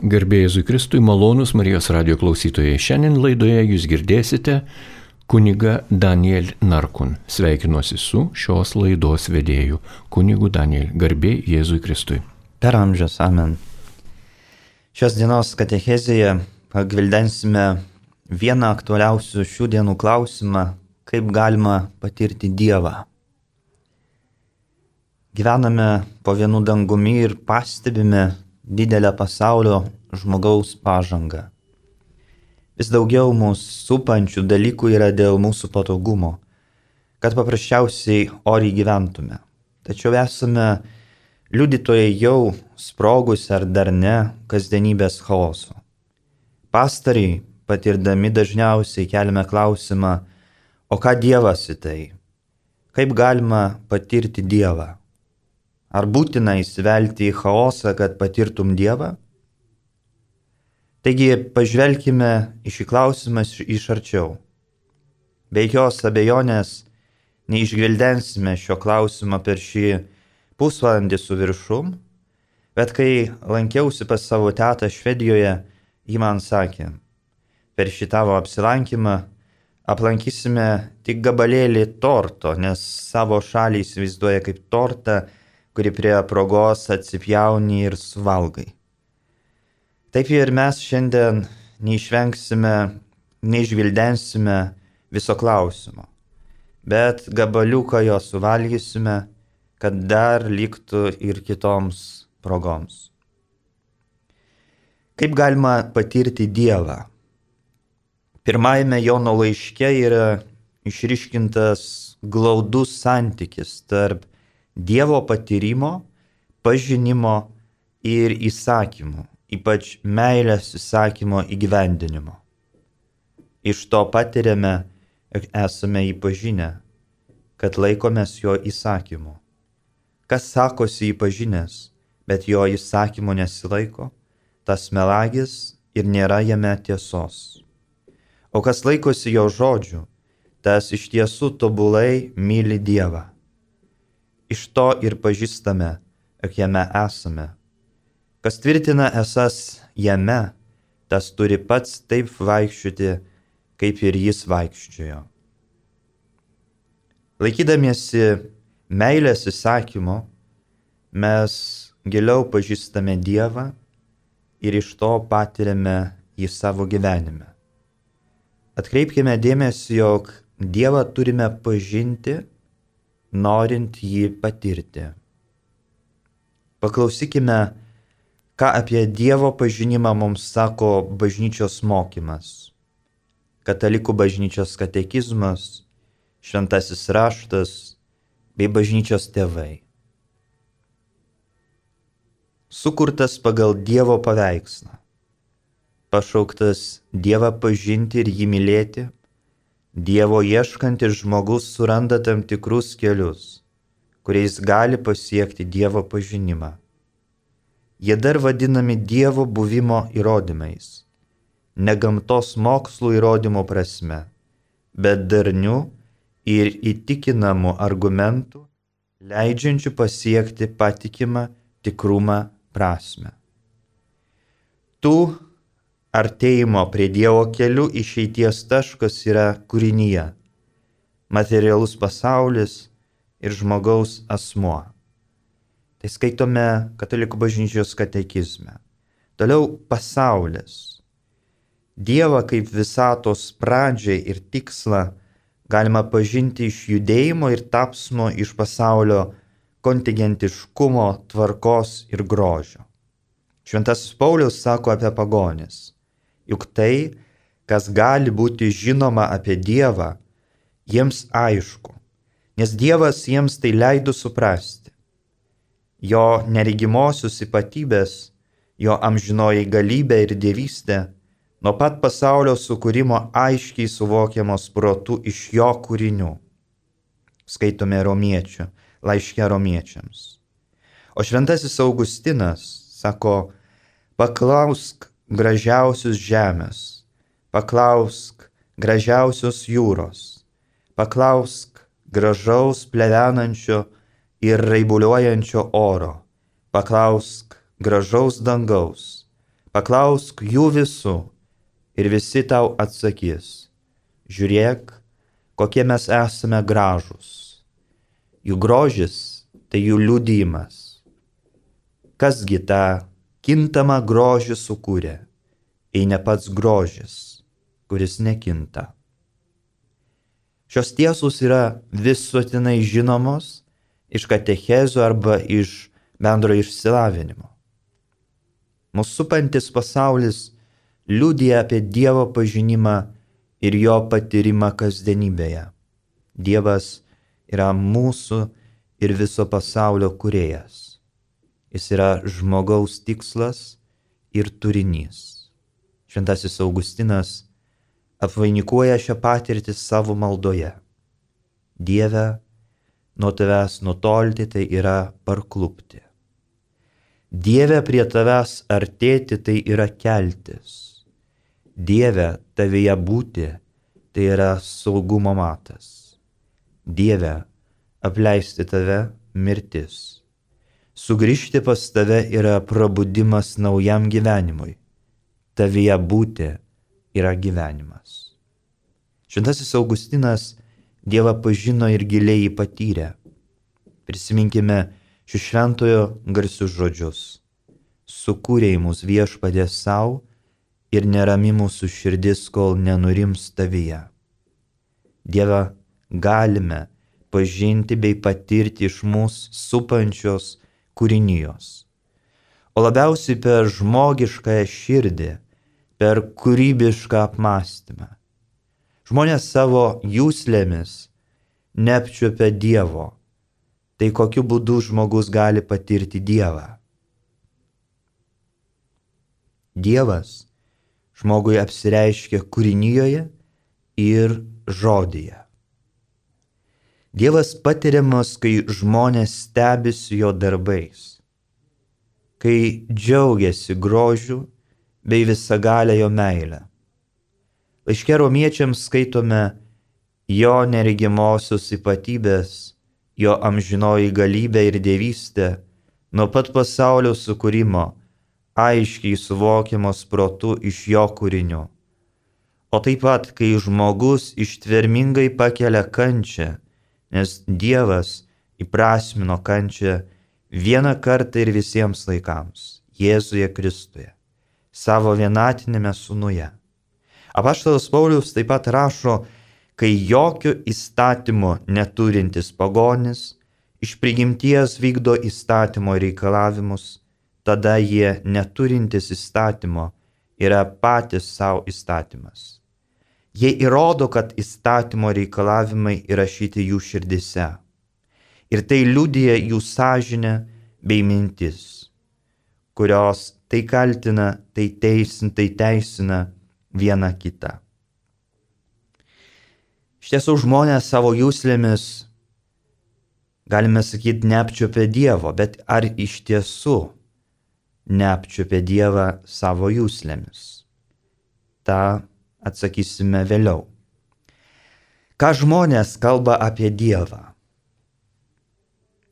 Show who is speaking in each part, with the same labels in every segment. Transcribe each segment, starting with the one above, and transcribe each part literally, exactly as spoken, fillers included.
Speaker 1: Garbė Jėzui Kristui, malonūs Marijos radijo klausytojai. Šiandien laidoje jūs girdėsite kunigą Daniel Narkun. Sveikinuosi su šios laidos vedėju, kunigu Daniel. Garbė Jėzui Kristui.
Speaker 2: Per amžius, amen. Šios dienos katechezėje pagvildensime vieną aktualiausių šių dienų klausimą, kaip galima patirti Dievą. Gyvename po vienu dangumi ir pastebime didelę pasaulio žmogaus pažangą. Vis daugiau mūsų supančių dalykų yra dėl mūsų patogumo, kad paprasčiausiai oriai gyventume. Tačiau esame liudytojai jau sprogus ar dar ne kasdienybės chaoso. Pastariai, patirdami dažniausiai keliame klausimą, o ką Dievas į tai? Kaip galima patirti Dievą? Ar būtina įsivelti į chaosą, kad patirtum Dievą? Taigi pažvelkime į šį klausimą iš arčiau. Be jokios abejonės neišgvildensime šio klausimo per šį pusvalandį su viršum, bet kai lankiausi pas savo tetą Švedijoje, ji man sakė, per šį tavo apsilankymą aplankysime tik gabalėlį torto, nes savo šalį įsivaizduoja kaip tortą, kuri prie progos atsipjauni ir suvalgai. Taip ir mes šiandien neišvengsime, neišgvildensime viso klausimo, bet gabaliuką jo suvalgysime, kad dar liktų ir kitoms progoms. Kaip galima patirti Dievą? Pirmajame Jono laiške yra išryškintas glaudus santykis tarp Dievo patyrimo, pažinimo ir įsakymų, ypač meilės įsakymo įgyvendinimo. Iš to patiriame, jog esame jį pažinę, kad laikomės jo įsakymų. Kas sakosi jį pažinęs, bet jo įsakymo nesilaiko, tas melagis ir nėra jame tiesos. O kas laikosi jo žodžių, tas iš tiesų tobulai myli Dievą. Iš to ir pažįstame, jog jame esame. Kas tvirtina esas jame, tas turi pats taip vaikščioti, kaip ir jis vaikščiojo. Laikydamiesi meilės įsakymo, mes giliau pažįstame Dievą ir iš to patiriame jį savo gyvenime. Atkreipkime dėmesį, jog Dievą turime pažinti, norint jį patirti. Paklausykime, ką apie Dievo pažinimą mums sako bažnyčios mokymas, katalikų bažnyčios katekizmas, šventasis raštas bei bažnyčios tėvai. Sukurtas pagal Dievo paveikslą, pašauktas Dievą pažinti ir jį mylėti, Dievo ieškantis žmogus suranda tam tikrus kelius, kuriais gali pasiekti Dievo pažinimą. Jie dar vadinami Dievo buvimo įrodymais, ne gamtos mokslų įrodymų prasme, bet darnių ir įtikinamų argumentų, leidžiančių pasiekti patikimą tikrumą prasme. Tų artėjimo prie Dievo kelių išeities taškas yra kūrinyje, materialus pasaulis ir žmogaus asmuo. Tai skaitome katalikų bažnyčios katekizme. Toliau pasaulis. Dievą kaip visatos pradžią ir tikslą galima pažinti iš judėjimo ir tapsmo iš pasaulio kontingentiškumo, tvarkos ir grožio. Šventasis Paulius sako apie pagonis. Juk tai, kas gali būti žinoma apie Dievą, jiems aišku, nes Dievas jiems tai leido suprasti. Jo neregimosios ypatybės, jo amžinoji galybė ir dievystė, nuo pat pasaulio sukūrimo aiškiai suvokiamos protu iš jo kūrinių. Skaitome Romiečių, laiške Romiečiams. O šventasis Augustinas sako, paklausk gražiausius žemės, paklausk gražiausios jūros, paklausk gražaus plevenančio ir raibuliuojančio oro, paklausk gražaus dangaus, paklausk jų visų ir visi tau atsakys, žiūrėk, kokie mes esame gražūs. Jų grožis tai jų liudijimas. Kasgi tą kintamą grožį sukūrė, jei ne pats grožis, kuris nekinta. Šios tiesos yra visuotinai žinomos iš katechezių arba iš bendro išsilavinimo. Mūsų supantis pasaulis liudija apie Dievo pažinimą ir jo patyrimą kasdienybėje. Dievas yra mūsų ir viso pasaulio kūrėjas. Jis yra žmogaus tikslas ir turinys. Šventasis Augustinas apvainikuoja šią patirtį savo maldoje. Dieve, nuo tavęs nutolti tai yra parklupti. Dieve, prie tavęs artėti tai yra keltis. Dieve, tavyje būti tai yra saugumo matas. Dieve, apleisti tave mirtis. Sugrįžti pas tave yra prabudimas naujam gyvenimui. Tavyje būti yra gyvenimas. Šventasis Augustinas Dievą pažino ir giliai jį patyrė. Prisiminkime šių šventojo garsius žodžius. Sukūrei mus Viešpatie savo ir nerami mūsų širdis, kol nenurims tavyje. Dievą galime pažinti bei patirti iš mūsų supančios kūrinijos. O labiausiai per žmogiškąją širdį, per kūrybišką apmąstymą. Žmonės savo juslėmis neapčiuopia Dievo. Tai kokiu būdu žmogus gali patirti Dievą? Dievas žmogui apsireiškia kūrinijoje ir žodyje. Dievas patiriamas, kai žmonės stebisi jo darbais, kai džiaugiasi grožiu bei visagalę jo meilę. Laiške Romiečiams skaitome jo neregimosios ypatybės, jo amžinoji galybė ir dievystė nuo pat pasaulio sukūrimo, aiškiai suvokiamos protu iš jo kūrinių. O taip pat, kai žmogus ištvermingai pakelia kančią, nes Dievas įprasmino kančią vieną kartą ir visiems laikams, Jėzuje Kristuje, savo vienatinėme sūnuje. Apaštalas Paulius taip pat rašo, kai jokio įstatymo neturintis pagonis iš prigimties vykdo įstatymo reikalavimus, tada jie neturintis įstatymo yra patys savo įstatymas. Jie įrodo, kad įstatymo reikalavimai įrašyti jų širdise. Ir tai liudija jų sąžinė bei mintis, kurios tai kaltina, tai teisina, tai teisina viena kita. Iš tiesų žmonės savo juslėmis, galime sakyti, neapčiuopia Dievo, bet ar iš tiesų neapčiuopia Dievą savo juslėmis? Ta atsakysime vėliau. Ką žmonės kalba apie Dievą?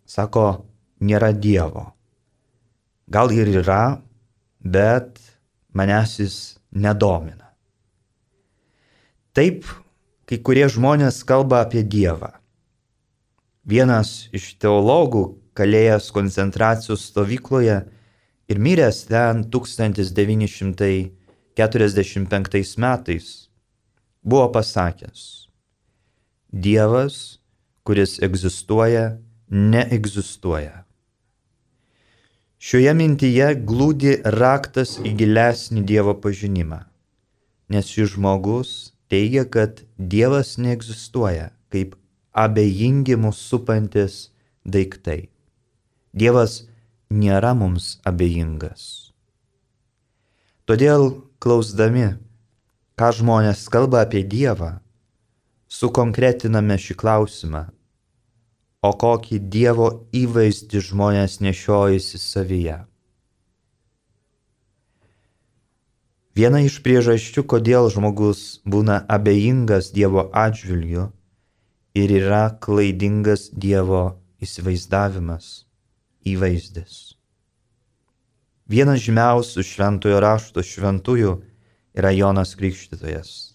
Speaker 2: Sako, nėra Dievo. Gal ir yra, bet manęs jis nedomina. Taip, kai kurie žmonės kalba apie Dievą. Vienas iš teologų, kalėjęs koncentracijos stovykloje ir miręs ten tūkstantis devyni šimtai keturiasdešimt penktais metais, buvo pasakęs: Dievas, kuris egzistuoja, neegzistuoja. Šioje mintyje glūdi raktas į gilesnį Dievo pažinimą, nes šis žmogus teigia, kad Dievas neegzistuoja kaip abejingi mus supantis daiktai. Dievas nėra mums abejingas. Todėl, klausdami, ką žmonės kalba apie Dievą, sukonkretiname šį klausimą, o kokį Dievo įvaizdį žmonės nešiojasi savyje. Viena iš priežasčių, kodėl žmogus būna abejingas Dievo atžvilgiu, ir yra klaidingas Dievo įsivaizdavimas, įvaizdis. Vienas žymiausių šventojo rašto šventųjų yra Jonas Krikštytojas.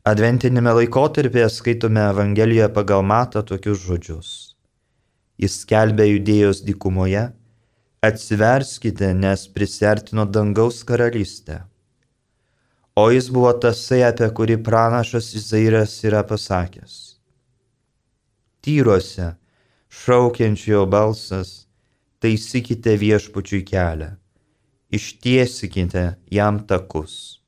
Speaker 2: Adventinėme laikotarpyje skaitome Evangelijoje pagal Matą tokius žodžius. Jis skelbė Judėjos dykumoje: atsiverskite, nes prisiartino dangaus karalystė. O jis buvo tasai, apie kurį pranašas Izairas yra pasakęs: Tyruose šaukiančiojo balsas, taisykite viešpačiui kelią, ištiesikite jam takus.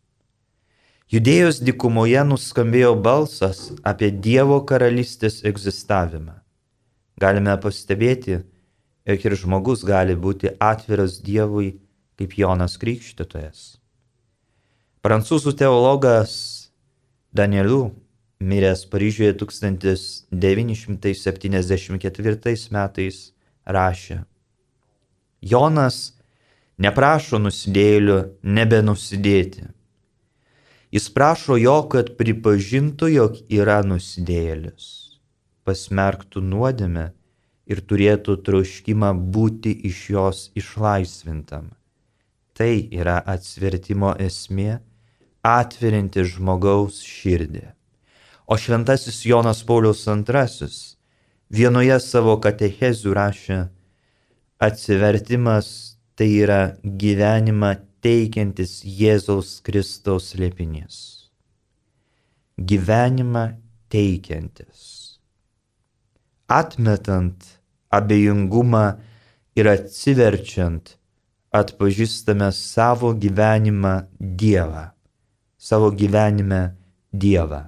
Speaker 2: Judėjos dykumoje nuskambėjo balsas apie Dievo karalystės egzistavimą. Galime pastebėti, jog ir žmogus gali būti atviras Dievui kaip Jonas Krikštytojas. Prancūzų teologas Danieliu, miręs Paryžiuje tūkstantis devyni šimtai septyniasdešimt ketvirtais metais, rašė: Jonas neprašo nusidėjėlio nebenusidėti. Jis prašo jo, kad pripažintų, jog yra nusidėjėlis, pasmerktų nuodėmę ir turėtų troškimą būti iš jos išlaisvintam. Tai yra atsivertimo esmė, atverinti žmogaus širdį. O šventasis Jonas Paulius antrasis vienoje savo katechezių rašė: atsivertimas tai yra gyvenimą teikiantis Jėzaus Kristaus slėpinys. Gyvenimą teikiantis. Atmetant abejingumą ir atsiverčiant, atpažįstame savo gyvenimą Dievą, savo gyvenime Dievą,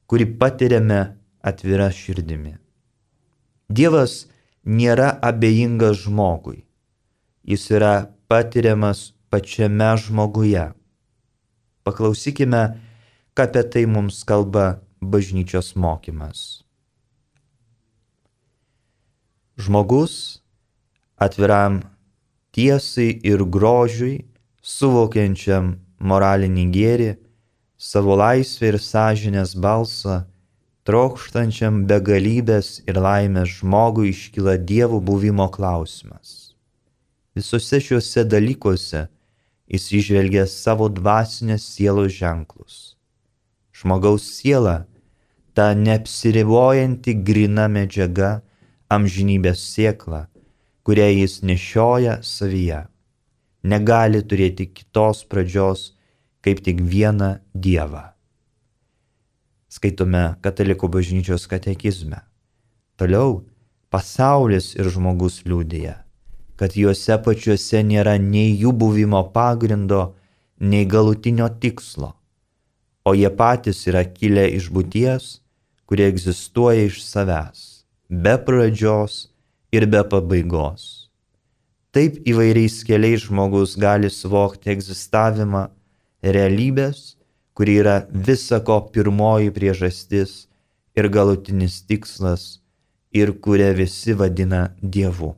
Speaker 2: kurį patiriame atvira širdimi. Dievas nėra abejingas žmogui, jis yra patiriamas pačiame žmoguje. Paklausykime, ką apie tai mums kalba bažnyčios mokymas. Žmogus atviram tiesai ir grožiui, suvokiančiam moralinį gėrį, savo laisvę ir sąžinės balsą, trokštančiam begalybės ir laimės žmogui iškyla Dievo buvimo klausimas. Visose šiuose dalykuose jis įžvelgia savo dvasinės sielos ženklus. Žmogaus siela, ta neapsiribojanti gryna medžiaga, amžinybės sėkla, kurią jis nešioja savyje, negali turėti kitos pradžios kaip tik vieną Dievą. Skaitome Katalikų bažnyčios katekizme. Toliau pasaulis ir žmogus liudija, kad juose pačiuose nėra nei jų buvimo pagrindo, nei galutinio tikslo, o jie patys yra kilę iš būties, kurie egzistuoja iš savęs, be pradžios ir be pabaigos. Taip įvairiais keliais žmogus gali suvokti egzistavimą realybės, kuri yra visako pirmoji priežastis ir galutinis tikslas ir kurią visi vadina Dievu.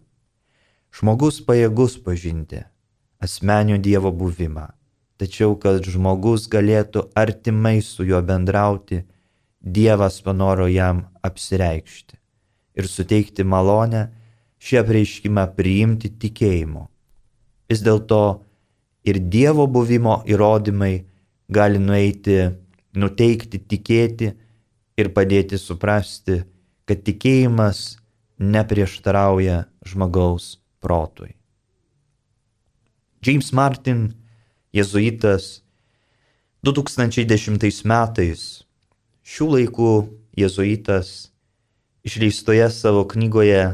Speaker 2: Žmogus pajėgus pažinti asmenio Dievo buvimą, tačiau kad žmogus galėtų artimai su juo bendrauti, Dievas panoro jam apsireikšti ir suteikti malonę šį apreiškimą priimti tikėjimu. Vis dėlto ir Dievo buvimo įrodymai gali nueiti, nuteikti tikėti ir padėti suprasti, kad tikėjimas neprieštarauja žmogaus protui. James Martin, jėzuitas, du tūkstančiai dešimtais metais, šių laikų jėzuitas, išleistoje savo knygoje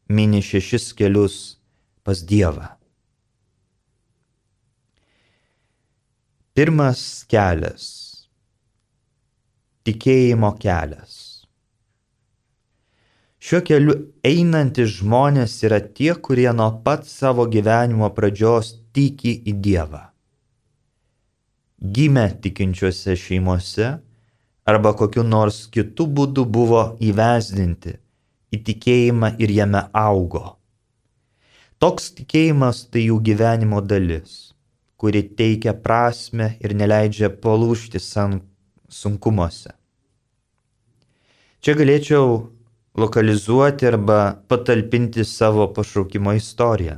Speaker 2: mini šešis kelius pas Dievą. Pirmas kelias – tikėjimo kelias. Šiuo keliu einantys žmonės yra tie, kurie nuo pat savo gyvenimo pradžios tiki į Dievą. Gimę tikinčiuose šeimose arba kokiu nors kitu būdu buvo įvesdinti į tikėjimą ir jame augo. Toks tikėjimas tai jų gyvenimo dalis, kuri teikia prasmę ir neleidžia palūžti sunkumuose. Čia galėčiau lokalizuoti arba patalpinti savo pašaukimo istoriją,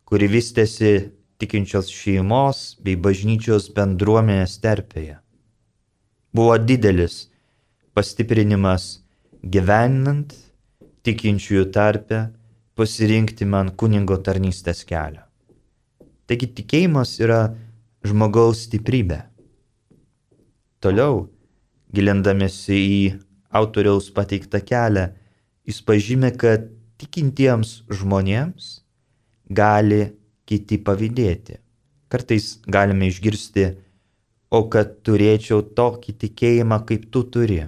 Speaker 2: kuri vystėsi tikinčios šeimos bei bažnyčios bendruomenės terpėje. Buvo didelis pastiprinimas gyvenant tikinčiųjų tarpe pasirinkti man kunigo tarnystės kelią. Taigi tikėjimas yra žmogaus stiprybė. Toliau, gilindamėsi į autoriaus pateiktą kelią, jis pažymė, kad tikintiems žmonėms gali kiti pavydėti. Kartais galime išgirsti, o kad turėčiau tokį tikėjimą, kaip tu turi.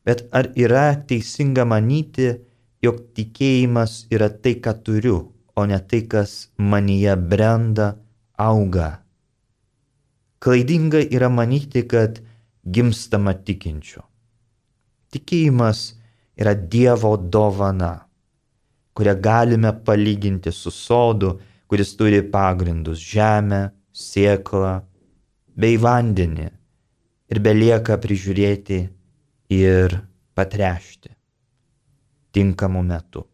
Speaker 2: Bet ar yra teisinga manyti, jog tikėjimas yra tai, ką turiu, o ne tai, kas manyje brenda, auga? Klaidinga yra manyti, kad gimstama tikinčiu. Tikėjimas yra Dievo dovana, kurią galime palyginti su sodu, kuris turi pagrindus žemę, sėklą bei vandenį ir belieka prižiūrėti ir patręšti tinkamu metu.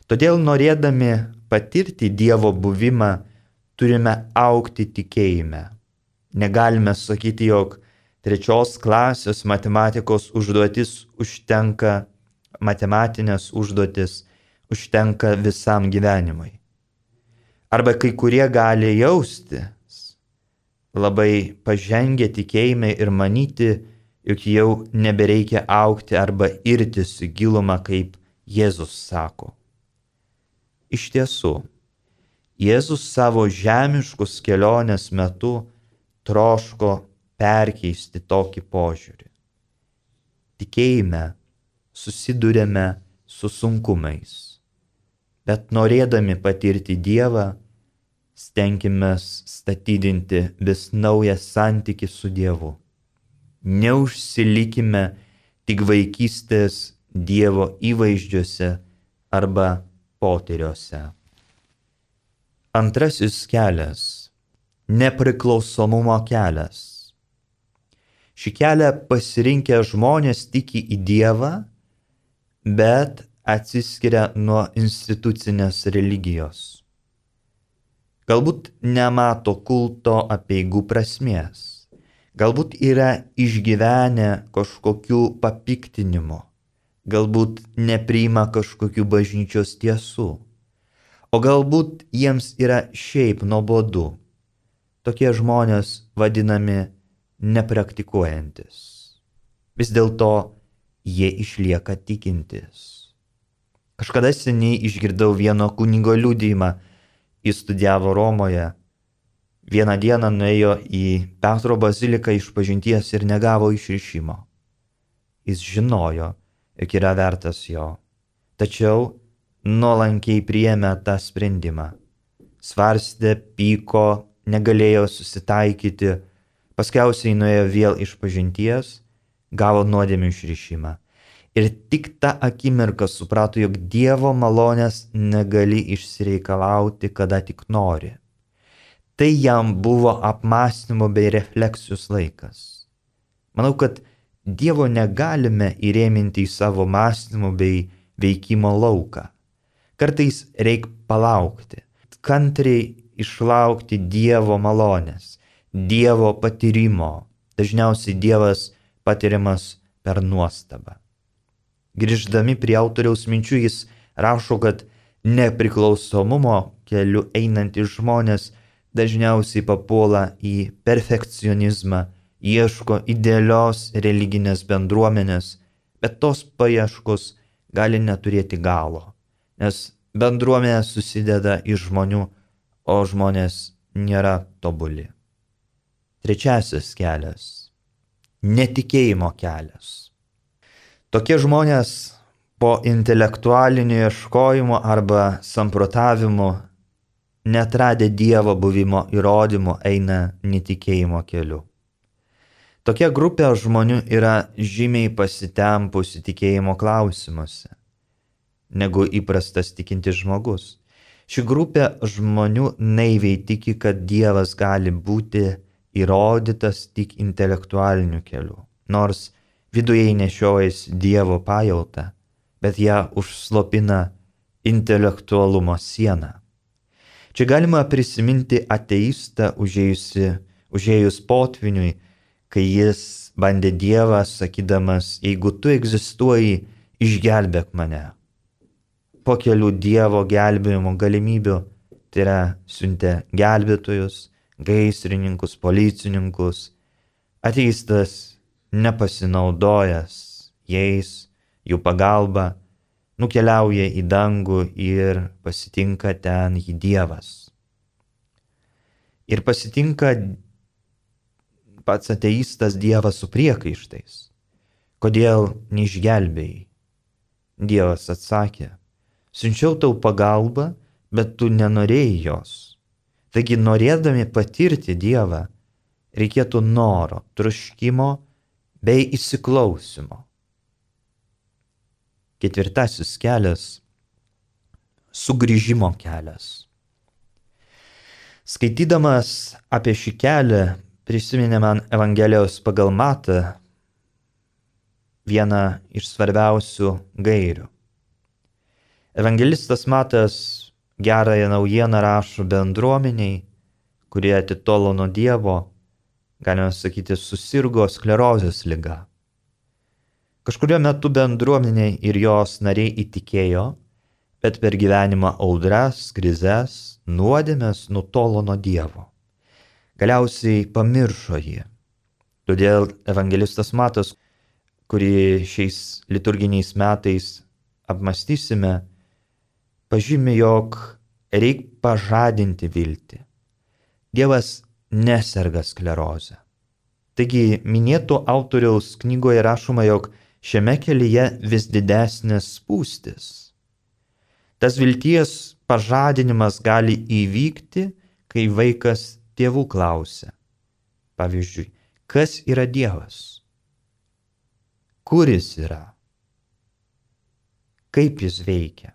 Speaker 2: Todėl norėdami patirti Dievo buvimą, turime augti tikėjime. Negalime sakyti, jog trečios klasės matematikos užduotis užtenka, matematinės užduotis užtenka visam gyvenimui. Arba kai kurie gali jaustis labai pažengę tikėjime ir manyti, jog jau nebereikia augti arba irtis į gilumą, kaip Jėzus sako. Iš tiesų, Jėzus savo žemiškos kelionės metu troško perkeisti tokį požiūrį. Tikėjime susidurėme su sunkumais, bet norėdami patirti Dievą, stenkimės statydinti vis naują santykį su Dievu. Neužsilikime tik vaikystės Dievo įvaizdžiuose arba potyriuose. Antrasis kelias – nepriklausomumo kelias. Šį kelią pasirinkę žmonės tiki į Dievą, bet atsiskiria nuo institucinės religijos. Galbūt nemato kulto apeigų prasmės. Galbūt yra išgyvenę kažkokių papiktinimų. Galbūt nepriima kažkokių bažnyčios tiesų. O galbūt jiems yra šiaip nuobodu. Tokie žmonės vadinami nepraktikuojantis. Vis dėlto jie išlieka tikintis. Kažkada seniai išgirdau vieno kunigo liudijimą. Jis studijavo Romoje. Vieną dieną nuėjo į Petro baziliką išpažinties ir negavo išrišimo. Jis žinojo, jog yra vertas jo. Tačiau nuolankiai priėmė tą sprendimą. Svarstė, pyko, negalėjo susitaikyti, paskiausiai nuėjo vėl išpažinties, gavo nuodėmių išrišimą. Ir tik tą akimirką suprato, jog Dievo malonės negali išsireikalauti, kada tik nori. Tai jam buvo apmąstymo bei refleksijos laikas. Manau, kad Dievo negalime įrėminti į savo mąstymo bei veikimo lauką. Kartais reikia palaukti, kantriai išlaukti Dievo malonės, Dievo patyrimo. Dažniausiai Dievas patiriamas per nuostabą. Grįždami prie autoriaus minčių, jis rašo, kad nepriklausomumo keliu einantys žmonės dažniausiai papuola į perfekcionizmą, ieško idealios religinės bendruomenės, bet tos paieškos gali neturėti galo, nes bendruomenė susideda iš žmonių, o žmonės nėra tobuli. Trečiasis kelias – netikėjimo kelias. Tokie žmonės po intelektualinio ieškojimo arba samprotavimo, neatradę Dievo buvimo įrodymų, eina netikėjimo keliu. Tokia grupė žmonių yra žymiai pasitempusi tikėjimo klausimuose, negu įprastas tikintis žmogus. Ši grupė žmonių naiviai tiki, kad Dievas gali būti įrodytas tik intelektualiniu keliu, nors viduje nešiojasi Dievo pajautą, bet ją užslopina intelektualumo siena. Čia galima prisiminti ateistą užėjusi, užėjus potviniui, kai jis bandė Dievą, sakydamas, jeigu tu egzistuoji, išgelbėk mane. Po kelių Dievo gelbėjimo galimybių, tai yra siuntė gelbėtojus, gaisrininkus, policininkus, ateistas nepasinaudojęs jais, jų pagalba, nukeliauja į dangų ir pasitinka ten jį Dievas. Ir pasitinka pats ateistas Dievą su priekaištais. Kodėl neišgelbėjai? Dievas atsakė, siunčiau tau pagalbą, bet tu nenorėjai jos. Taigi norėdami patirti Dievą, reikėtų noro, troškimo bei įsiklausimo. Ketvirtasis kelias – sugrįžimo kelias. Skaitydamas apie šį kelią, prisiminė man Evangelijos pagal Matą vieną iš svarbiausių gairių. Evangelistas Matas gerąją naujieną rašo bendruomeniai, kurie atitolo nuo Dievo, galima sakyti, susirgo sklerozės liga. Kažkurio metu bendruomenė ir jos nariai įtikėjo, bet per gyvenimą audras, krizes, nuodėmes nutolo nuo Dievo. Galiausiai pamiršo jį. Todėl evangelistas Matas, kurį šiais liturginiais metais apmąstysime, pažymi, jog reik pažadinti viltį. Dievas neserga sklerozę. Taigi minėto autoriaus knygoje rašoma, jog šiame kelyje vis didesnės spūstis. Tas vilties pažadinimas gali įvykti, kai vaikas tėvų klausia. Pavyzdžiui, kas yra Dievas? Kur jis yra? Kaip jis veikia?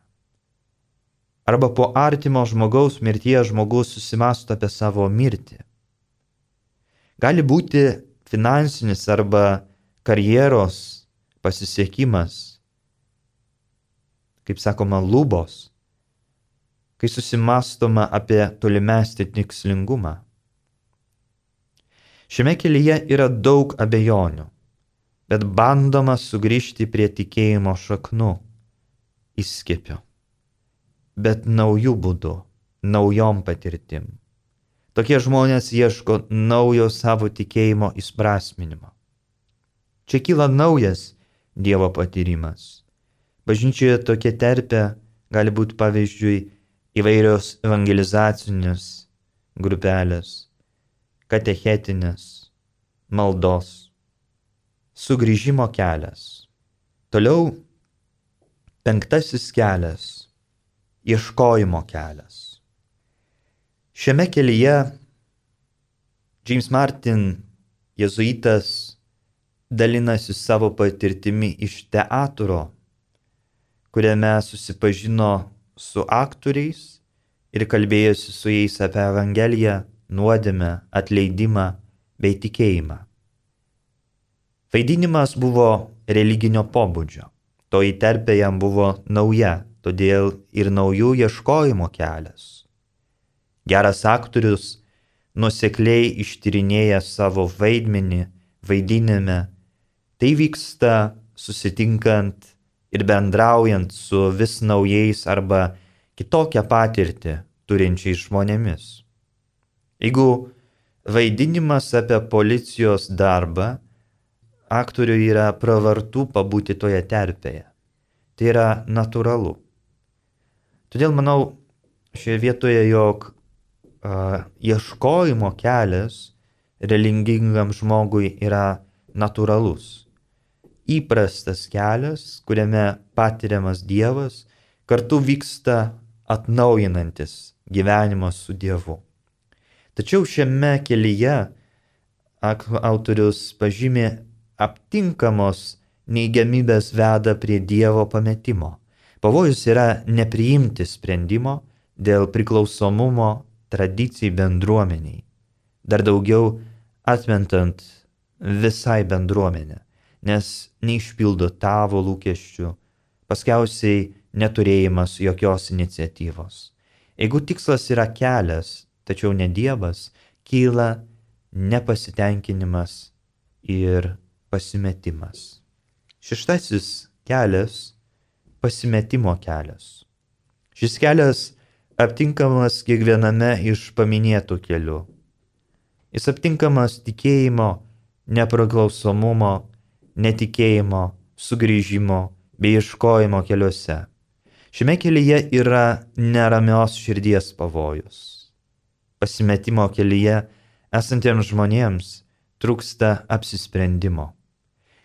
Speaker 2: Arba po artimo žmogaus mirties žmogus susimąsto apie savo mirtį. Gali būti finansinis arba karjeros pasisiekimas, kaip sakoma, lubos, kai susimąstoma apie tolimesnį tikslingumą. Šiame kelyje yra daug abejonių, bet bandoma sugrįžti prie tikėjimo šaknų, įskiepio, bet naujų būdų, naujom patirtim. Tokie žmonės ieško naujo savo tikėjimo įprasminimo. Čia kyla naujas Dievo patyrimas. Bažnyčioje tokia terpė gali būti, pavyzdžiui, įvairios evangelizacinės grupelės, katechetinės, maldos, sugrįžimo kelias. Toliau penktasis kelias – ieškojimo kelias. Šiame kelyje James Martin, jėzuitas, dalinasi savo patirtimi iš teatro, kuriame susipažino su aktoriais ir kalbėjosi su jais apie Evangeliją, nuodėmę, atleidimą bei tikėjimą. Vaidinimas buvo religinio pobūdžio, toji terpė jam buvo nauja, todėl ir naujų ieškojimo kelias. Geras aktorius nuosekliai ištyrinėja savo vaidmenį, vaidinime. Tai vyksta susitinkant ir bendraujant su vis naujais arba kitokią patirtį turinčiais žmonėmis. Jeigu vaidinimas apie policijos darbą, aktoriui yra pravartu pabūti toje terpėje. Tai yra natūralu. Todėl manau šioje vietoje, jog uh, ieškojimo kelias religingam žmogui yra natūralus. Įprastas kelias, kuriame patiriamas Dievas, kartu vyksta atnaujinantis gyvenimas su Dievu. Tačiau šiame kelyje autorius pažymė aptinkamos neigiamybės veda prie Dievo pametimo. Pavojus yra nepriimti sprendimo dėl priklausomumo tradicijai bendruomeniai. Dar daugiau atmentant visai bendruomenę, nes neišpildo tavo lūkesčių, paskiausiai neturėjimas jokios iniciatyvos. Jeigu tikslas yra kelias, tačiau ne Dievas, kyla nepasitenkinimas ir pasimetimas. Šeštasis kelias - pasimetimo kelias. Šis kelias aptinkamas kiekviename iš paminėtų kelių. Jis aptinkamas tikėjimo, nepriklausomumo, netikėjimo, sugrįžimo bei ieškojimo keliuose. Šiame kelyje yra neramios širdies pavojus. Pasimetimo kelyje esantiems žmonėms trūksta apsisprendimo.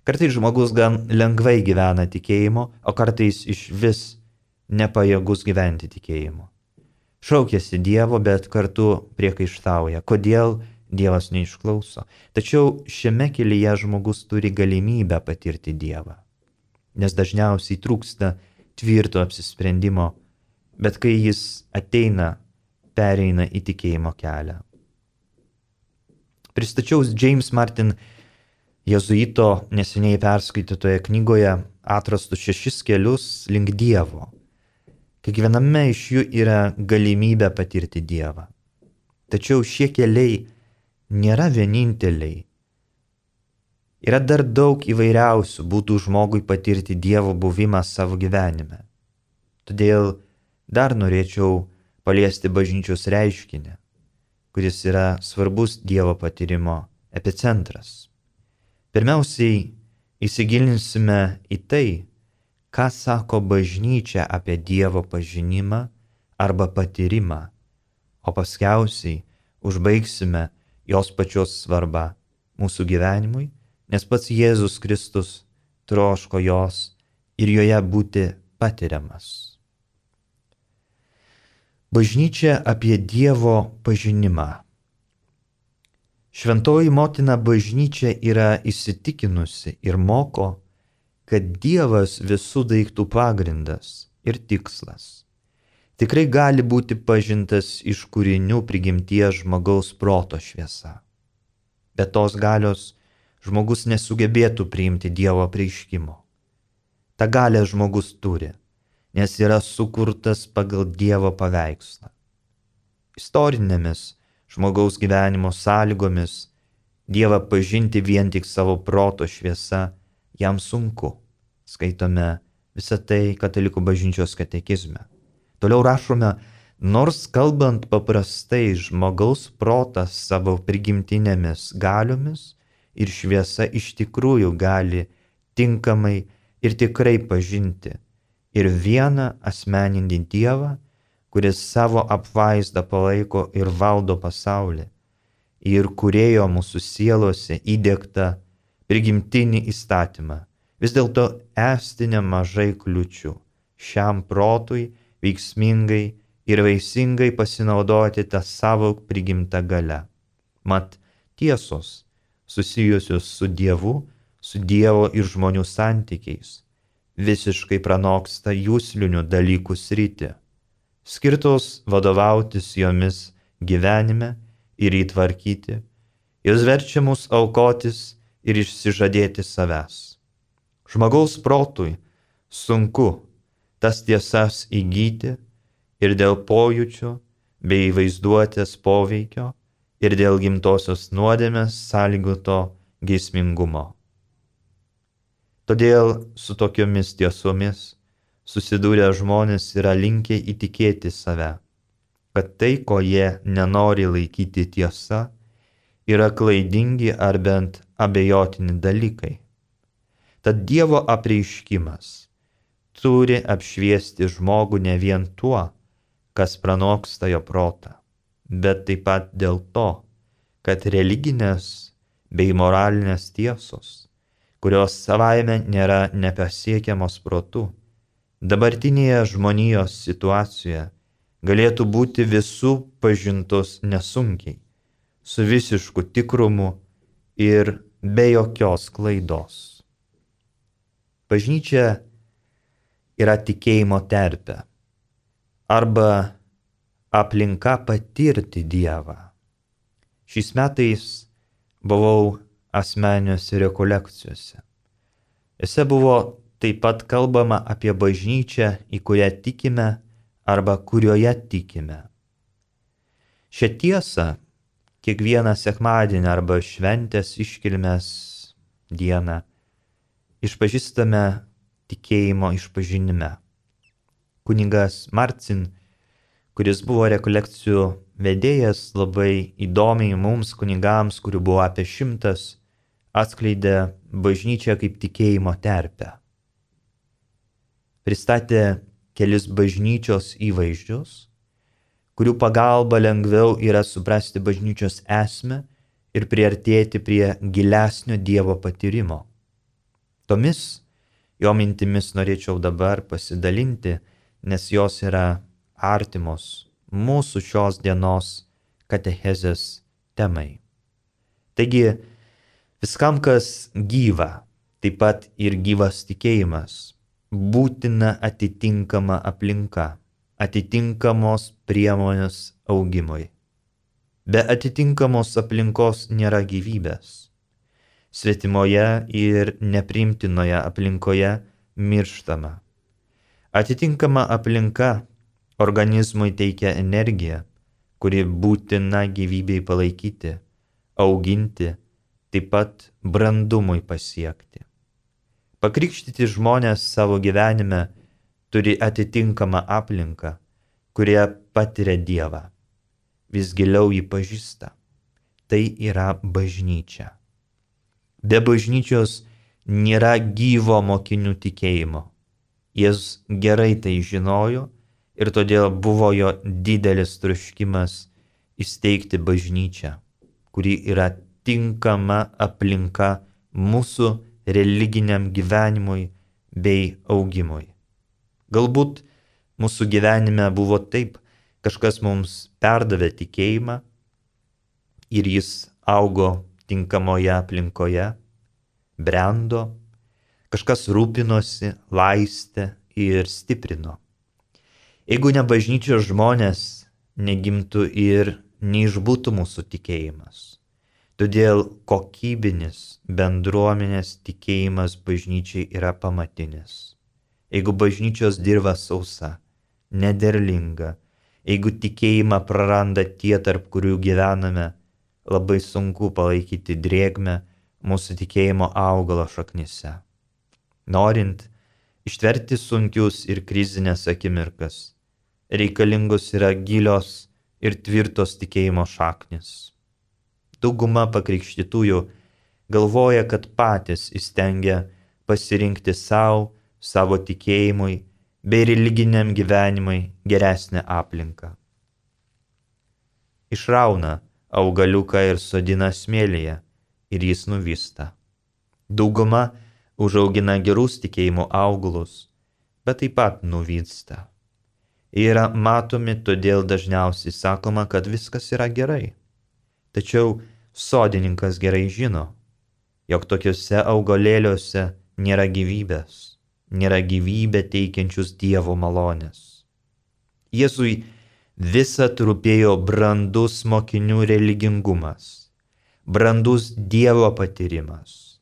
Speaker 2: Kartais žmogus gan lengvai gyvena tikėjimo, o kartais iš vis nepajėgus gyventi tikėjimo. Šaukiasi Dievo, bet kartu priekaištauja, kodėl Dievas neišklauso. Tačiau šiame kelyje žmogus turi galimybę patirti Dievą, nes dažniausiai trūksta tvirto apsisprendimo, bet kai jis ateina, pereina į tikėjimo kelią. Pristačiau James Martin jėzuito neseniai perskaitytoje knygoje atrastus šešis kelius link Dievo. Kiekviename iš jų yra galimybė patirti Dievą. Tačiau šie keliai nėra vieninteliai. Yra dar daug įvairiausių būdų žmogui patirti Dievo buvimą savo gyvenime. Todėl dar norėčiau paliesti bažnyčios reiškinį, kuris yra svarbus Dievo patyrimo epicentras. Pirmiausiai įsigilinsime į tai, ką sako bažnyčia apie Dievo pažinimą arba patyrimą, o paskiausiai užbaigsime jos pačios svarbą mūsų gyvenimui, nes pats Jėzus Kristus troško jos ir joje būti patiriamas. Bažnyčia apie Dievo pažinimą. Šventoji motina bažnyčia yra įsitikinusi ir moko, kad Dievas visų daiktų pagrindas ir tikslas tikrai gali būti pažintas iš kūrinių prigimties žmogaus proto šviesa. Be tos galios žmogus nesugebėtų priimti Dievo apreiškimo. Ta galia žmogus turi, nes yra sukurtas pagal Dievo paveikslą. Istorinėmis žmogaus gyvenimo sąlygomis Dievą pažinti vien tik savo proto šviesa jam sunku. Skaitome visą tai Katalikų bažnyčios katekizme. Toliau rašome, nors kalbant paprastai žmogaus protas savo prigimtinėmis galiomis ir šviesa iš tikrųjų gali tinkamai ir tikrai pažinti ir vieną asmeninį Dievą, kuris savo apvaizdą palaiko ir valdo pasaulį, ir kūrėjo mūsų sielose įdiegtą prigimtinį įstatymą. Vis dėlto esti nemažai kliučių šiam protui veiksmingai ir vaisingai pasinaudoti tą savo prigimtą galią. Mat tiesos susijusios su Dievu, su Dievo ir žmonių santykiais visiškai pranoksta jūslinių dalykų sritį, skirtos vadovautis jomis gyvenime ir įtvarkyti, jos verčia mus aukotis ir išsižadėti savęs. Žmogaus protui sunku tas tiesas įgyti ir dėl pojūčių bei vaizduotės poveikio ir dėl gimtosios nuodėmės sąlygoto geismingumo. Todėl su tokiomis tiesomis susidūrę žmonės yra linkę įtikėti save, kad tai, ko jie nenori laikyti tiesa, yra klaidingi ar bent abejotini dalykai. Tad Dievo apreiškimas turi apšviesti žmogų ne vien tuo, kas pranoksta jo protą, bet taip pat dėl to, kad religinės bei moralinės tiesos, kurios savaime nėra nepasiekiamos protu, dabartinėje žmonijos situacijoje galėtų būti visų pažintos nesunkiai, su visišku tikrumu ir be jokios klaidos. Bažnyčia yra tikėjimo terpė arba aplinka patirti Dievą. Šiais metais buvau asmeniniuose rekolekcijose. Jose buvo taip pat kalbama apie bažnyčią, į kurią tikime arba kurioje tikime. Šią tiesą kiekvieną sekmadienį arba šventės iškilmės dieną išpažįstame tikėjimo išpažinime. Kunigas Marcin, kuris buvo rekolekcijų vedėjas, labai įdomiai mums kunigams, kurių buvo apie šimtas, atskleidė bažnyčią kaip tikėjimo terpę. Pristatė kelis bažnyčios įvaizdžius, kurių pagalba lengviau yra suprasti bažnyčios esmę ir priartėti prie gilesnio Dievo patyrimo. Tomis jo mintimis norėčiau dabar pasidalinti, nes jos yra artimos mūsų šios dienos katechezės temai. Taigi, viskam, kas gyva, taip pat ir gyvas tikėjimas, būtina atitinkama aplinka, atitinkamos priemonės augimui. Be atitinkamos aplinkos nėra gyvybės. Svetimoje ir nepriimtinoje aplinkoje mirštama. Atitinkama aplinka organizmui teikia energiją, kuri būtina gyvybei palaikyti, auginti, taip pat brandumui pasiekti. Pakrikštyti žmonės savo gyvenime turi atitinkamą aplinką, kurie patiria Dievą. Vis giliau jį pažįsta. Tai yra bažnyčia. Be bažnyčios nėra gyvo mokinių tikėjimo. Jis gerai tai žinojo ir todėl buvo jo didelis troškimas įsteigti bažnyčią, kuri yra tinkama aplinka mūsų religiniam gyvenimui bei augimui. Galbūt mūsų gyvenime buvo taip, kažkas mums perdavė tikėjimą ir jis augo tinkamoje aplinkoje, brendo, kažkas rūpinosi, laistė ir stiprino. Jeigu ne bažnyčios žmonės, negimtų ir neišbūtų mūsų tikėjimas. Todėl kokybinis bendruomenės tikėjimas bažnyčiai yra pamatinis. Jeigu bažnyčios dirva sausa, nederlinga, jeigu tikėjimą praranda tie, tarp kurių gyvename, labai sunku palaikyti drėgmę mūsų tikėjimo augalo šaknyse. Norint ištverti sunkius ir krizinės akimirkas, reikalingos yra gilios ir tvirtos tikėjimo šaknis. Dauguma pakrikštytųjų galvoja, kad patys įstengia pasirinkti savo, savo tikėjimui bei religiniam gyvenimui geresnę aplinką. Išrauna augaliuką ir sodina smėlyje ir jis nuvysta. Dauguma užaugina gerus tikėjimo augalus, bet taip pat nuvysta. Jie yra matomi, todėl dažniausiai sakoma, kad viskas yra gerai. Tačiau sodininkas gerai žino, jog tokiuose augalėliuose nėra gyvybės, nėra gyvybę teikiančius Dievo malonės. Jėzui visad rūpėjo brandus mokinių religingumas, brandus Dievo patyrimas.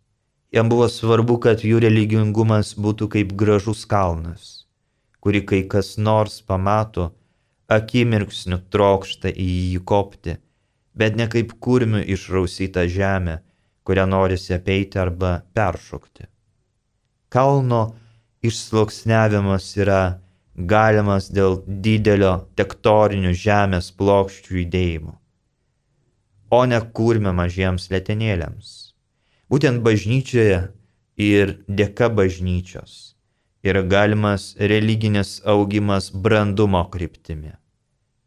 Speaker 2: Jam buvo svarbu, kad jų religingumas būtų kaip gražus kalnas, kurį kai kas nors pamato, akimirksniu trokšta į jį kopti, bet ne kaip kurmių išrausytą žemę, kurią norisi apeiti arba peršokti. Kalno išsluoksniavimas yra galimas dėl didelio tektorinių žemės plokščių judėjimų, o ne kurmio mažiems letenėliams. Būtent bažnyčioje ir dėka bažnyčios yra galimas religinis augimas brandumo kryptimi.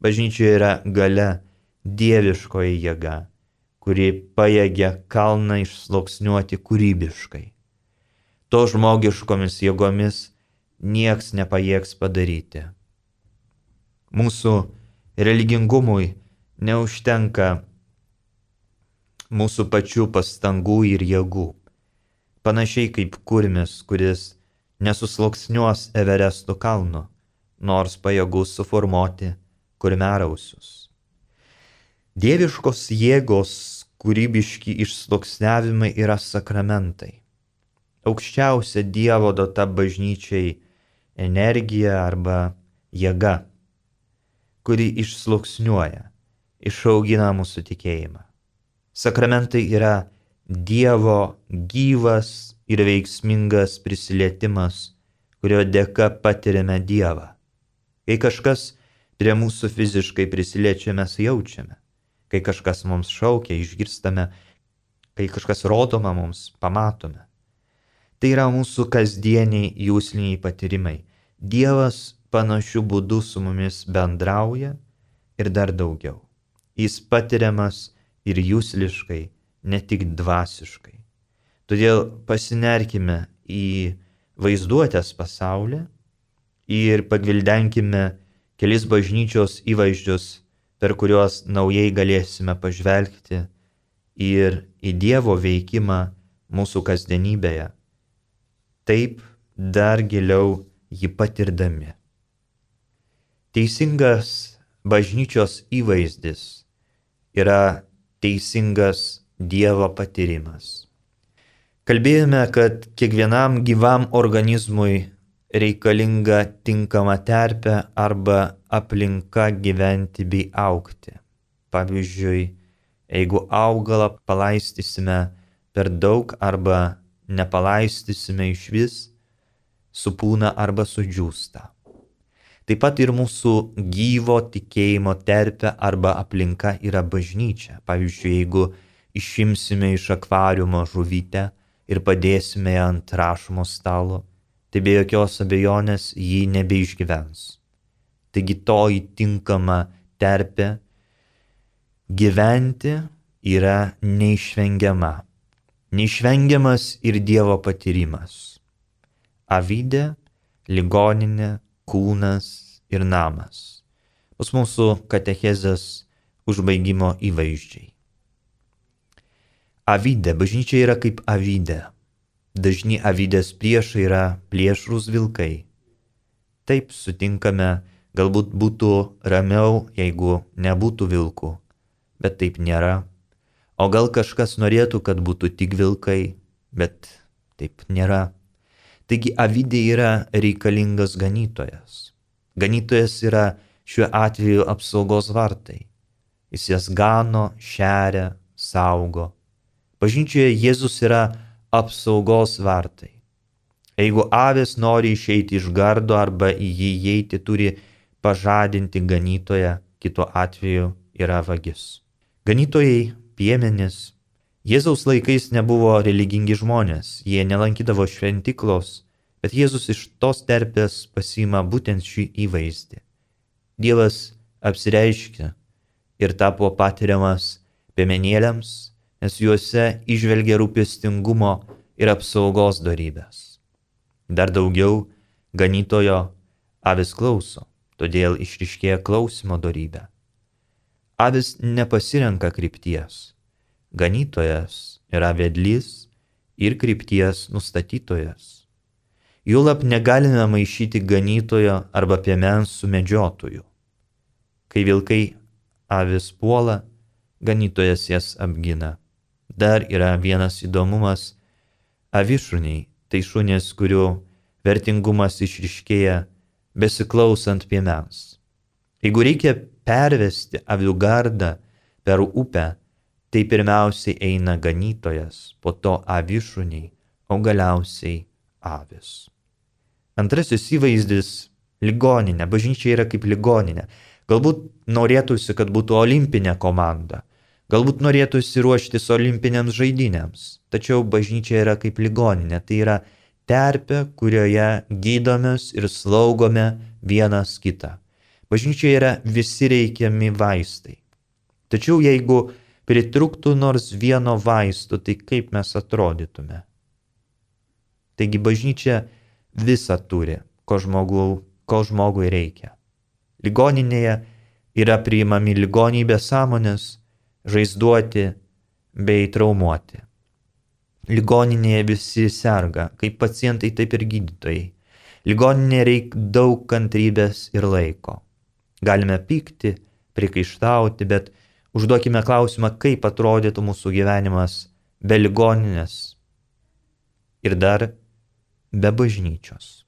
Speaker 2: Bažnyčioje yra galia, dieviškoji jėga, kuri pajėgia kalną išsluoksniuoti kūrybiškai. To žmogiškomis jėgomis nieks nepajėgs padaryti. Mūsų religingumui neužtenka mūsų pačių pastangų ir jėgų, panašiai kaip kurmis, kuris nesusluoksniuos Everestų kalno, nors pajėgus suformuoti kurmiarausius. Dieviškos jėgos kūrybiški išsluoksniavimai yra sakramentai. Aukščiausia Dievo duota bažnyčiai energija arba jėga kuri išsluoksniuoja, išaugina mūsų tikėjimą. Sakramentai yra Dievo gyvas ir veiksmingas prisilietimas, kurio dėka patiriame Dievą. Kai kažkas prie mūsų fiziškai prisiliečia, mes jaučiame. Kai kažkas mums šaukia, išgirstame, kai kažkas rodoma mums, pamatome. Tai yra mūsų kasdieniai jūsliniai patyrimai. Dievas panašiu būdu su mumis bendrauja ir dar daugiau. Jis patiriamas ir jūsliškai, ne tik dvasiškai. Todėl pasinerkime į vaizduotės pasaulį ir pagvildenkime kelis bažnyčios įvaizdžius, per kuriuos naujai galėsime pažvelgti ir į Dievo veikimą mūsų kasdienybėje, taip dar giliau jį patirdami. Teisingas bažnyčios įvaizdis yra teisingas Dievo patyrimas. Kalbėjome, kad kiekvienam gyvam organizmui reikalinga tinkama terpė arba aplinka gyventi bei augti. Pavyzdžiui, jeigu augalą palaistysime per daug arba nepalaistysime iš vis, supūna arba sudžiūsta. Taip pat ir mūsų gyvo tikėjimo terpė arba aplinka yra bažnyčia. Pavyzdžiui, jeigu išimsime iš akvariumo žuvytę ir padėsime ją ant rašomo stalo, tai be jokios abejonės jį nebeišgyvens. Taigi to įtinkama terpė gyventi yra neišvengiama. Neišvengiamas ir Dievo patyrimas. Avidė, ligoninė, kūnas ir namas. Bus mūsų katechezės užbaigimo įvaizdžiai. Avidė, bažnyčia yra kaip avidė. Dažni avidės priešai yra plėšrūs vilkai. Taip sutinkame, galbūt būtų ramiau, jeigu nebūtų vilkų, bet taip nėra. O gal kažkas norėtų, kad būtų tik vilkai, bet taip nėra. Taigi avidė yra reikalingas ganytojas. Ganytojas yra šiuo atveju apsaugos vartai. Jis jas gano, šeria, saugo. Bažnyčioje Jėzus yra apsaugos vartai. Jeigu avės nori išeiti iš gardo arba į jį įeiti, turi pažadinti ganytoją, kitu atveju yra vagis. Ganytojai, piemenys, Jėzaus laikais nebuvo religingi žmonės, jie nelankydavo šventiklos, bet Jėzus iš tos terpės pasiima būtent šį įvaizdį. Dievas apsireiškė ir tapo patiriamas piemenėliams, nes juose įžvelgia rūpestingumo ir apsaugos dorybės. Dar daugiau, ganytojo avis klauso, todėl išryškėja klausimo dorybė. Avis nepasirenka krypties. Ganytojas yra vedlys ir krypties nustatytojas. Juolab negalime maišyti ganytojo arba piemens su medžiotoju. Kai vilkai avis puola, ganytojas jas apgina. Dar yra vienas įdomumas. Avišuniai tai šunės, kurių vertingumas išryškėja besiklausant piemens. Jeigu reikia pervesti avių gardą per upę, tai pirmiausiai eina ganytojas, po to avišuniai, o galiausiai avis. Antrasis įvaizdis – ligoninė. Bažnyčia yra kaip ligoninė. Galbūt norėtųsi, kad būtų olimpinė komanda. Galbūt norėtųsi ruoštis olimpinėms žaidynėms. Tačiau bažnyčia yra kaip ligoninė. Tai yra terpė, kurioje gydomės ir slaugome vienas kitą. Bažnyčia yra visi reikiami vaistai. Tačiau jeigu pritrūktų nors vieno vaisto, tai kaip mes atrodytume? Taigi bažnyčia visą turi, ko, žmogų, ko žmogui reikia. Ligoninėje yra priimami ligonybės sąmonės, žaizduoti bei traumuoti. Ligoninėje visi serga, kaip pacientai, taip ir gydytojai. Ligoninėje reikia daug kantrybės ir laiko. Galime pykti, prikaištauti, bet užduokime klausimą, kaip atrodytų mūsų gyvenimas be ligoninės ir dar be bažnyčios.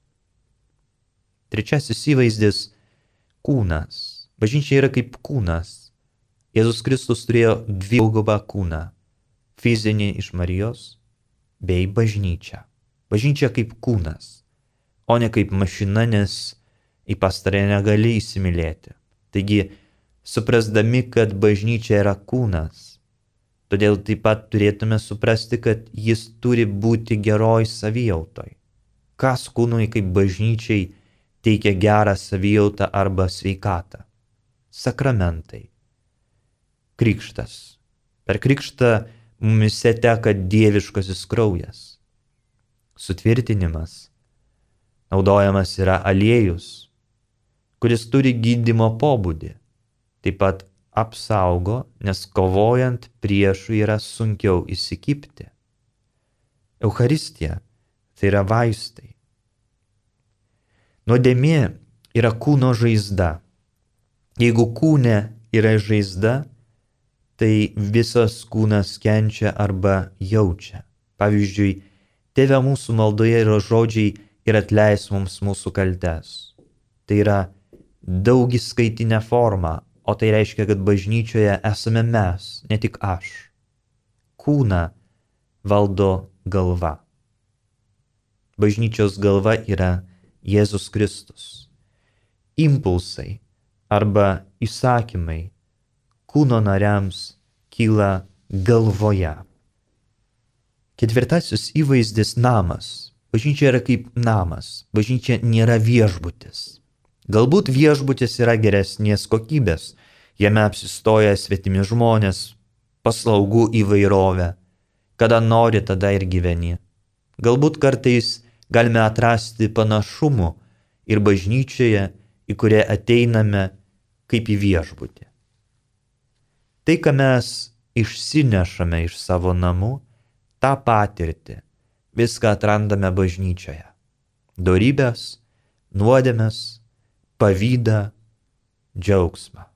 Speaker 2: Trečiasis įvaizdis – kūnas. Bažnyčia yra kaip kūnas. Jėzus Kristus turėjo dvigubą kūną - fizinį iš Marijos bei bažnyčią. Bažnyčia kaip kūnas, o ne kaip mašina, nes į pastarąją negali įsimylėti. Taigi, suprasdami, kad bažnyčia yra kūnas, todėl taip pat turėtume suprasti, kad jis turi būti geroj savijautoj. Kas kūnui kaip bažnyčiai teikia gerą savijautą arba sveikatą? Sakramentai. Krikštas. Per krikštą mumise teka dieviškasis kraujas. Sutvirtinimas. Naudojamas yra aliejus, kuris turi gydymo pobūdį. Taip pat apsaugo, nes kovojant priešų yra sunkiau įsikibti. Eucharistija tai yra vaistai. Nuodėmė yra kūno žaizda. Jeigu kūne yra žaizda, tai visas kūnas kenčia arba jaučia. Pavyzdžiui, Tėve mūsų maldoje yra žodžiai ir atleis mums mūsų kaltes. Tai yra daugiskaitinė forma, o tai reiškia, kad bažnyčioje esame mes, ne tik aš. Kūną valdo galva. Bažnyčios galva yra Jėzus Kristus. Impulsai arba įsakymai kūno nariams kyla galvoje. Ketvirtasis įvaizdis - namas. Bažnyčia yra kaip namas. Bažnyčia nėra viešbutis. Galbūt viešbutis yra geresnės kokybės. Jame apsistoja svetimi žmonės, paslaugų įvairovė. Kada nori, tada ir gyveni. Galbūt kartais galime atrasti panašumų ir bažnyčioje, į kurią ateiname kaip į viešbutį. Tai, ką mes išsinešame iš savo namų, tą patirtį, viską atrandame bažnyčioje. Dorybės, nuodėmes, pavydą, džiaugsmą.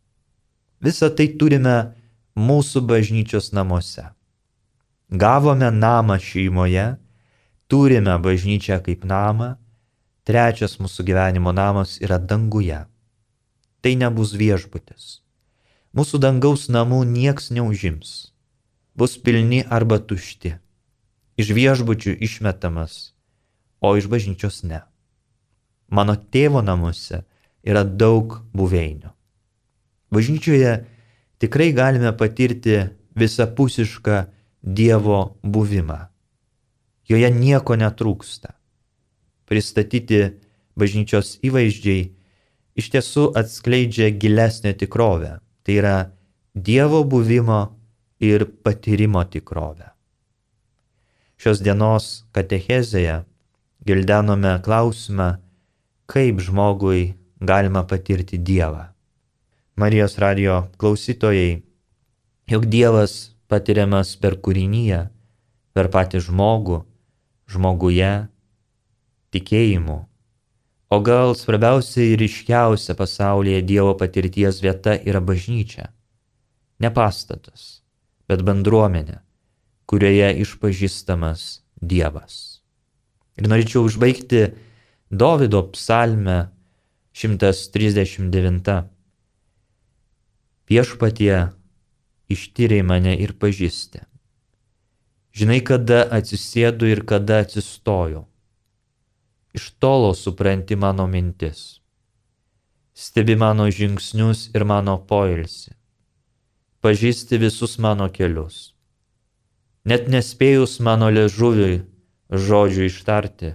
Speaker 2: Visą tai turime mūsų bažnyčios namuose. Gavome namą šeimoje, turime bažnyčią kaip namą, trečias mūsų gyvenimo namas yra danguje. Tai nebus viešbutis. Mūsų dangaus namų nieks neužims. Bus pilni arba tušti. Iš viešbučių išmetamas, o iš bažnyčios ne. Mano tėvo namuose yra daug buveinių. Bažnyčioje tikrai galime patirti visapusišką Dievo buvimą. Joje nieko netrūksta. Pristatyti bažnyčios įvaizdžiai iš tiesų atskleidžia gilesnę tikrovę. Tai yra Dievo buvimo ir patyrimo tikrovę. Šios dienos katechezėje gildenome klausimą, kaip žmogui galima patirti Dievą. Marijos radijo klausytojai, jog Dievas patiriamas per kūrinyje, per patį žmogų, žmoguje, tikėjimu. O gal svarbiausia ir ryškiausia pasaulyje Dievo patirties vieta yra bažnyčia. Ne pastatas, bet bendruomenė, kurioje išpažįstamas Dievas. Ir norėčiau užbaigti Dovydo psalmę šimtas trisdešimt devinta. Viešpatie, ištyrei mane ir pažįsti. Žinai, kada atsisėdu ir kada atsistoju. Iš tolo supranti mano mintis. Stebi mano žingsnius ir mano poilsį. Pažįsti visus mano kelius. Net nespėjus mano liežuviui žodžių ištarti,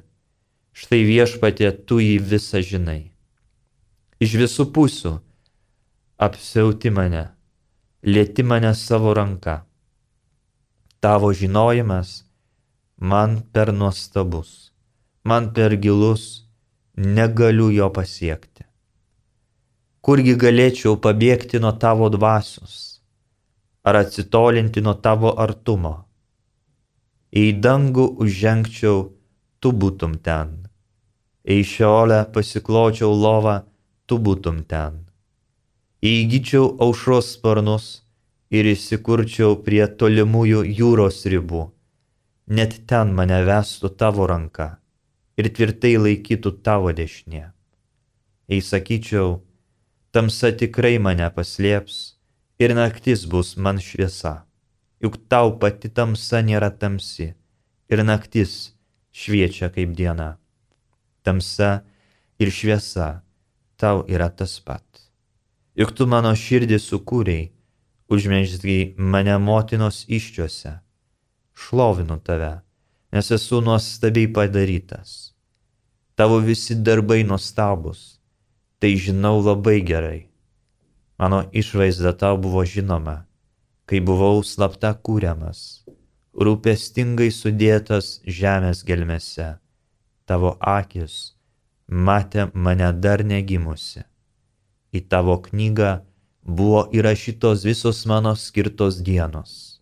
Speaker 2: štai viešpatie tu jį visą žinai. Iš visų pusių apsiauti mane, lieti mane savo ranka. Tavo žinojimas man per nuostabus, man per gilus, negaliu jo pasiekti. Kurgi galėčiau pabėgti nuo tavo dvasios, ar atsitolinti nuo tavo artumo? Į dangų užžengčiau, tu būtum ten. Į šiolę pasikločiau lovą, tu būtum ten. Įgyčiau aušros sparnus ir įsikurčiau prie tolimųjų jūros ribų. Net ten mane vestų tavo ranka ir tvirtai laikytų tavo dešinė. Jei sakyčiau, tamsa tikrai mane paslėps ir naktis bus man šviesa. Juk tau pati tamsa nėra tamsi ir naktis šviečia kaip diena. Tamsa ir šviesa tau yra tas pat. Juk tu mano širdį sukūrei, užmezgei mane motinos iščiuose. Šlovinu tave, nes esu nuostabiai padarytas. Tavo visi darbai nuostabus, tai žinau labai gerai. Mano išvaizda tau buvo žinoma, kai buvau slapta kūriamas, rūpestingai sudėtas žemės gelmėse. Tavo akis matė mane dar negimusi. Į tavo knygą buvo įrašytos visos mano skirtos dienos,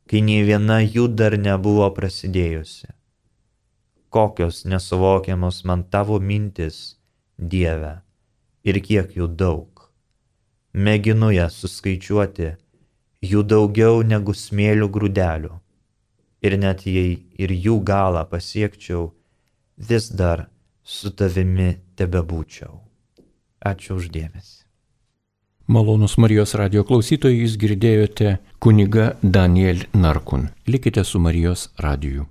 Speaker 2: kai nei viena jų dar nebuvo prasidėjusi. Kokios nesuvokiamos man tavo mintis, Dieve, ir kiek jų daug. Mėginu jas suskaičiuoti, jų daugiau negu smėlių grūdelių. Ir net jei ir jų galą pasiekčiau, vis dar su tavimi tebebūčiau. Ačiū už dėmesį.
Speaker 1: Malonus Marijos radio klausytojai, jūs girdėjote kunigą Daniel Narkun. Likite su Marijos radiju.